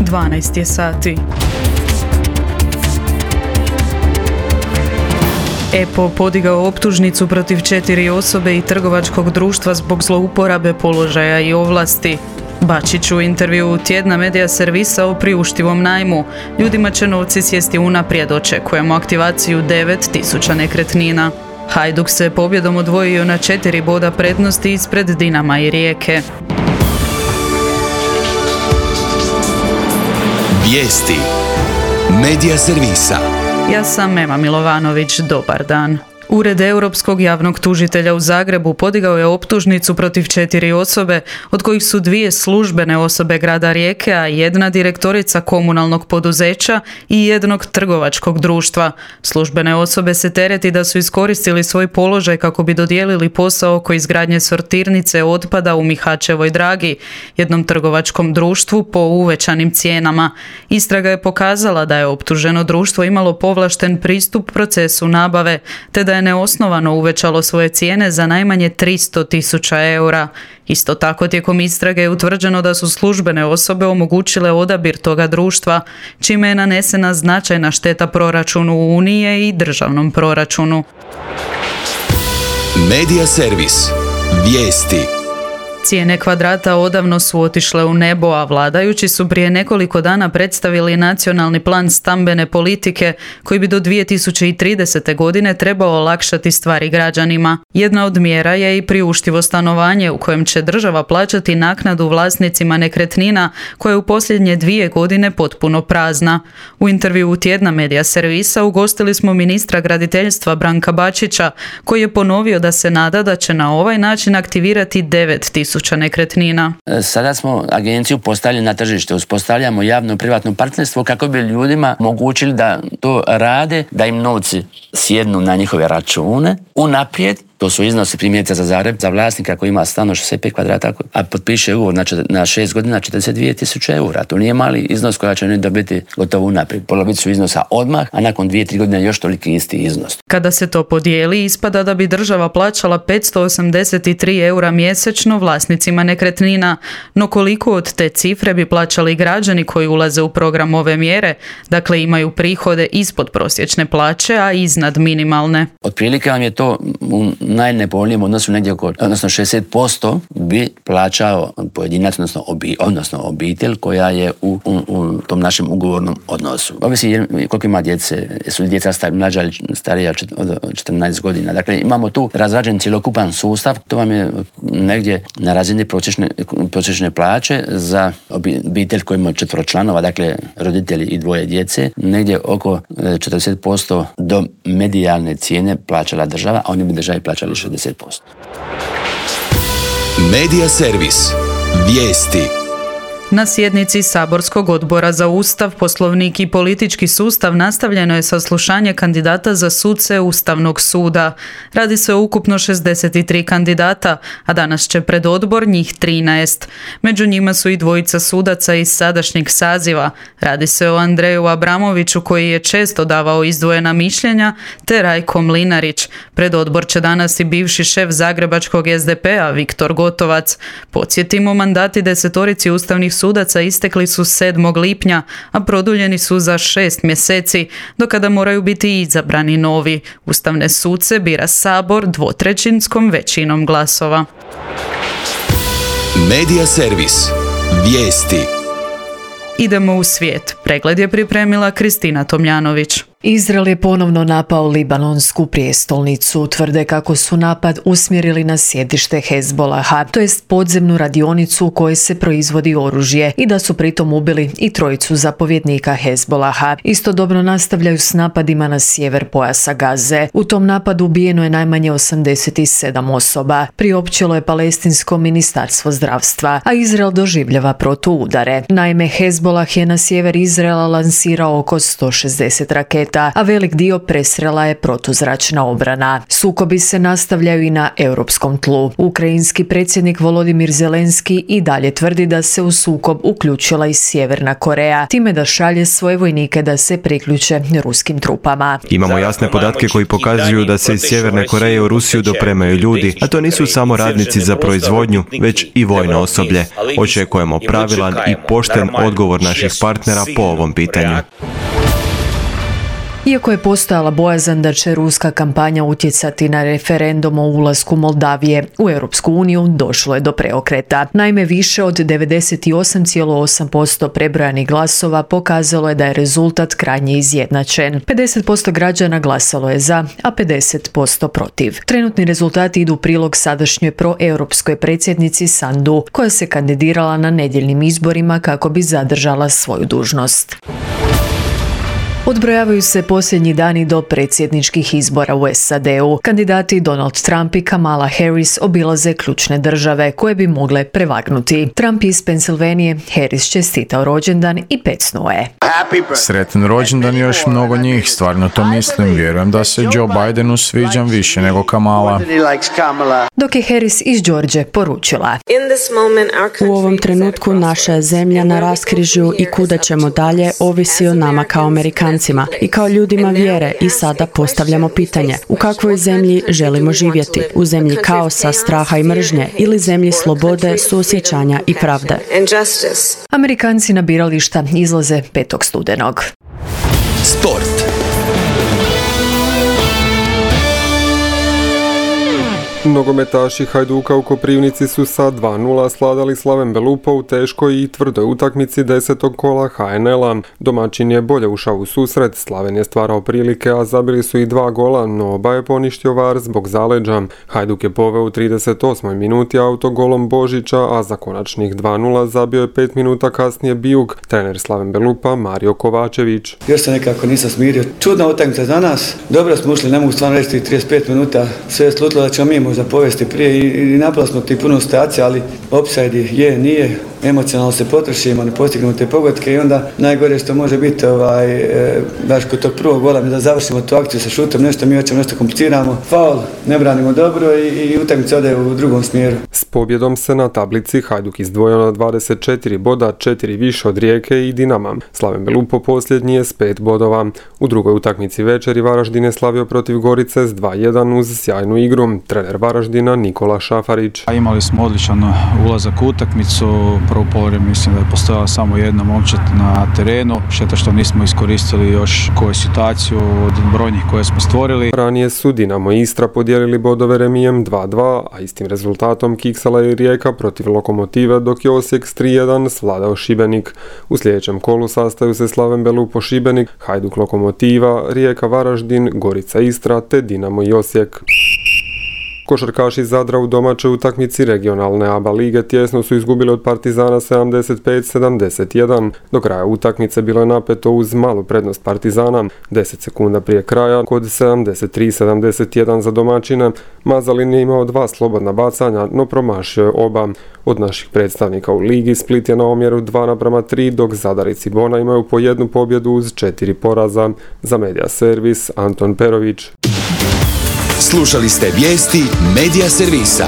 12 je sati. EPO podigao optužnicu protiv 4 osobe i trgovačkog društva zbog zlouporabe položaja i ovlasti. Bačić u intervjuu tjedna Medija servisa o priuštivom najmu. Ljudima će novci sjesti unaprijed, očekujemo aktivaciju 9.000 nekretnina. Hajduk se pobjedom odvojio na 4 boda prednosti ispred Dinama i Rijeke. Vijesti Medija servisa. Ja sam Ema Milovanović, dobar dan. Ured Europskog javnog tužitelja u Zagrebu podigao je optužnicu protiv 4 osobe, od kojih su 2 službene osobe grada Rijeke, a 1 direktorica komunalnog poduzeća i 1 trgovačkog društva. Službene osobe se tereti da su iskoristili svoj položaj kako bi dodijelili posao oko izgradnje sortirnice otpada u Mihačevoj Dragi, jednom trgovačkom društvu po uvećanim cijenama. Istraga je pokazala da je optuženo društvo imalo povlašten pristup procesu nabave, te da je neosnovano uvećalo svoje cijene za najmanje 300.000 eura. Isto tako tijekom istrage je utvrđeno da su službene osobe omogućile odabir toga društva, čime je nanesena značajna šteta proračunu Unije i državnom proračunu. Medija servis. Vijesti. Cijene kvadrata odavno su otišle u nebo, a vladajući su prije nekoliko dana predstavili nacionalni plan stambene politike koji bi do 2030. godine trebao olakšati stvari građanima. Jedna od mjera je i priuštivo stanovanje u kojem će država plaćati naknadu vlasnicima nekretnina koja je u posljednje 2 godine potpuno prazna. U intervjuu tjedna Medija servisa ugostili smo ministra graditeljstva Branka Bačića, koji je ponovio da se nada da će na ovaj način aktivirati 9.000 nekretnina. Sada smo agenciju postavili na tržište, uspostavljamo javno-privatno partnerstvo kako bi ljudima omogućili da to rade, da im novci sjednu na njihove račune unaprijed. To su iznosi primjerice za Zagreb, za vlasnika koji ima stan od 65 kvadrata, a potpiše ugovor na 6 godina 42.000 eura. To nije mali iznos koja će oni dobiti gotovo unaprijed. Polovicu iznosa odmah, a nakon 2-3 godine još toliki isti iznos. Kada se to podijeli, ispada da bi država plaćala 583 eura mjesečno vlasnicima nekretnina, no koliko od te cifre bi plaćali građani koji ulaze u program ove mjere, dakle imaju prihode ispod prosječne plaće, a iznad minimalne? Otprilike vam je to u najnepovoljnijem odnosu negdje odnosno 60% bi plaćao pojedinac, odnosno obitelj koja je u tom našem ugovornom odnosu. Ovisi koliko ima djece, jesu li djeca mlađa ili starija od 14 godina. Dakle, imamo tu razrađen cjelokupan sustav, to vam je negdje na razini prosječne plaće za obitelj koji ima 4 članova, dakle roditelji i 2 djece, negdje oko 40% do medijalne cijene plaćala država, a oni bi državi plaćali 60%. Medija servis. Vijesti. Na sjednici Saborskog odbora za Ustav, Poslovnik i politički sustav nastavljeno je saslušanje kandidata za suce Ustavnog suda. Radi se o ukupno 63 kandidata, a danas će pred odbor njih 13. Među njima su i 2 sudaca iz sadašnjeg saziva. Radi se o Andreju Abramoviću koji je često davao izdvojena mišljenja, te Rajko Mlinarić. Pred odbor će danas i bivši šef zagrebačkog SDP-a Viktor Gotovac. Podsjetimo, mandati 10 ustavnih sudaca istekli su 7. lipnja, a produljeni su za 6 mjeseci, do kada moraju biti izabrani novi. Ustavne suce bira Sabor 2/3 većinom glasova. Medija servis. Vijesti. Idemo u svijet. Pregled je pripremila Kristina Tomljanović. Izrael je ponovno napao libanonsku prijestolnicu. Tvrde kako su napad usmjerili na sjedište Hezbolaha, to jest podzemnu radionicu u kojoj se proizvodi oružje, i da su pritom ubili i 3 zapovjednika Hezbolaha. Istodobno nastavljaju s napadima na sjever pojasa Gaze. U tom napadu ubijeno je najmanje 87 osoba, priopćilo je palestinsko ministarstvo zdravstva, a Izrael doživljava protuudare. Naime, Hezbolah je na sjever Izraela lansirao oko 160 raketa raketa, a velik dio presrela je protuzračna obrana. Sukobi se nastavljaju i na europskom tlu. Ukrajinski predsjednik Volodimir Zelenski i dalje tvrdi da se u sukob uključila i Sjeverna Koreja, time da šalje svoje vojnike da se priključe ruskim trupama. Imamo jasne podatke koji pokazuju da se iz Sjeverne Koreje u Rusiju dopremaju ljudi, a to nisu samo radnici za proizvodnju, već i vojno osoblje. Očekujemo pravilan i pošten odgovor naših partnera po ovom pitanju. Iako je postojala bojazan da će ruska kampanja utjecati na referendum o ulasku Moldavije u Europsku uniju, došlo je do preokreta. Naime, više od 98,8% prebrojanih glasova pokazalo je da je rezultat krajnje izjednačen. 50% građana glasalo je za, a 50% protiv. Trenutni rezultati idu u prilog sadašnjoj proeuropskoj predsjednici Sandu, koja se kandidirala na nedjeljnim izborima kako bi zadržala svoju dužnost. Odbrojavaju se posljednji dani do predsjedničkih izbora u SAD-u. Kandidati Donald Trump i Kamala Harris obilaze ključne države koje bi mogle prevagnuti. Trump iz Pensilvanije, Harris čestitao rođendan i pecnuo je. Sretan rođendan još mnogo njih, stvarno to mislim. Vjerujem da se Joe Bidenu sviđam više nego Kamala. Dok je Harris iz George poručila: U ovom trenutku naša je zemlja na raskrižju i kuda ćemo dalje ovisi o nama kao Amerikancima i kao ljudima vjere i sada postavljamo pitanje: u kakvoj zemlji želimo živjeti? U zemlji kaosa, straha i mržnje ili zemlji slobode, suosjećanja i pravde? Amerikanci na birališta izlaze 5. studenog. Sport. Nogometaši Hajduka u Koprivnici su sa 2:0 svladali Slaven Belupo u teškoj i tvrdoj utakmici 10. kola HNL-a. Domaćin je bolje ušao u susret, Slaven je stvarao prilike, a zabili su i 2 gola, no oba je poništio VAR zbog zaleđa. Hajduk je poveo u 38. minuti autogolom Božića, a za konačnih 2:0 zabio je 5 minuta kasnije Bijuk, trener Slaven Belupa Mario Kovačević. Još se nekako nisam smirio. Čudna utakmica za nas. Dobro smo ušli, ne mogu stvarno reći 35 minuta. Sve je slutilo da ćemo mi možda povesti prije i napravili smo ti puno situacija, ali offside je, nije, emocionalno se potrošimo, ne postignemo te pogodke i onda najgore što može biti baš kod tog prvog gola da završimo tu akciju sa šutom, nešto mi hoćemo, nešto kompliciramo, faul, ne branimo dobro i utakmica ode u drugom smjeru. S pobjedom se na tablici Hajduk izdvojio na 24 boda, 4 više od Rijeke i Dinama. Slaven Belupo posljednji je s 5 bodova. U drugoj utakmici večeri Varaždin je slavio protiv Gorice s 2:1 uz sjajnu igru. Trener Varaždina Nikola Šafarić. Imali smo odličan ulazak u utakmicu. Prvo polovreme mislim da je postojala samo jedna momčad na terenu. Šteta što nismo iskoristili još koju situaciju od brojnih koje smo stvorili. Ranije su Dinamo i Istra podijelili bodove remijem 2:2, a istim rezultatom kiksala je Rijeka protiv Lokomotive, dok je Osijek s 3:1 svladao Šibenik. U sljedećem kolu sastaju se Slaven Belupo Šibenik, Hajduk Lokomotiva, Rijeka Varaždin, Gorica Istra te Dinamo i Osijek. Košarkaši Zadra u domaćoj utakmici regionalne ABA lige tjesno su izgubili od Partizana 75-71. Do kraja utakmice bilo je napeto uz malu prednost Partizana. 10 sekunda prije kraja, kod 73-71 za domaćine, Mazalin je imao 2 slobodna bacanja, no promašio je oba. Od naših predstavnika u ligi Split je na omjeru 2:3, dok Zadar i Cibona imaju po 1 pobjedu uz 4 poraza. Za Media Servis, Anton Perović. Slušali ste vijesti Media Servisa.